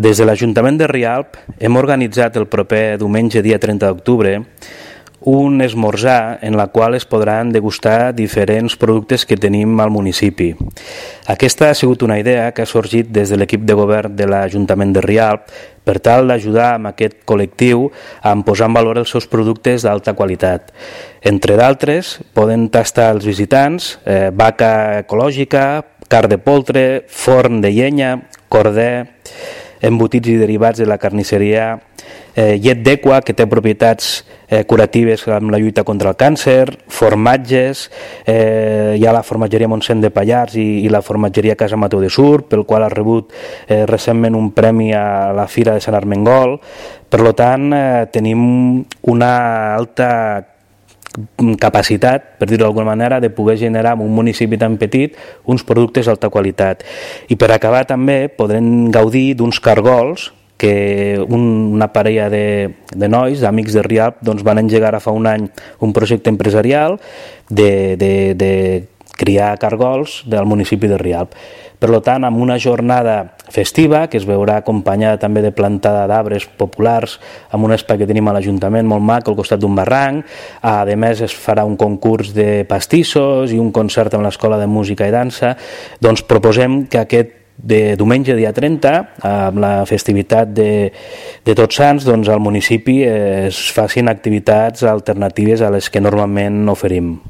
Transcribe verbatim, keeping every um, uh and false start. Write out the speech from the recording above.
Des de l'Ajuntament de Rialp hem organitzat el proper diumenge, dia trenta d'octubre, un esmorzar en la qual es podran degustar diferents productes que tenim al municipi. Aquesta ha sigut una idea que ha sorgit des de l'equip de govern de l'Ajuntament de Rialp per tal d'ajudar amb aquest col·lectiu a posar en valor els seus productes d'alta qualitat. Entre d'altres, poden tastar els visitants eh, vaca ecològica, carn de poltre, forn de llenya, corder, embotits i derivats de la carnisseria, eh, llet d'equa, que té propietats eh, curatives amb la lluita contra el càncer, formatges, eh, hi ha la formatgeria Montsent de Pallars i, i la formatgeria Casa Mateu de Sur, pel qual ha rebut eh, recentment un premi a la Fira de Sant Armengol. Per tant, eh, tenim una alta capacitat, per dir-ho d'alguna manera, de poder generar en un municipi tan petit uns productes d'alta qualitat. I per acabar també podrem gaudir d'uns cargols que un, una parella de, de nois, d'amics de Rialp, doncs van engegar fa un any un projecte empresarial de, de, de criar cargols del municipi de Rialp. Per tant, amb una jornada festiva, que es veurà acompanyada també de plantada d'arbres populars amb un espai que tenim a l'Ajuntament molt maco al costat d'un barranc. A més, es farà un concurs de pastissos i un concert amb l'Escola de Música i Dansa. Doncs proposem que aquest de diumenge, dia trenta, amb la festivitat de, de Tots Sants, doncs al municipi es facin activitats alternatives a les que normalment oferim.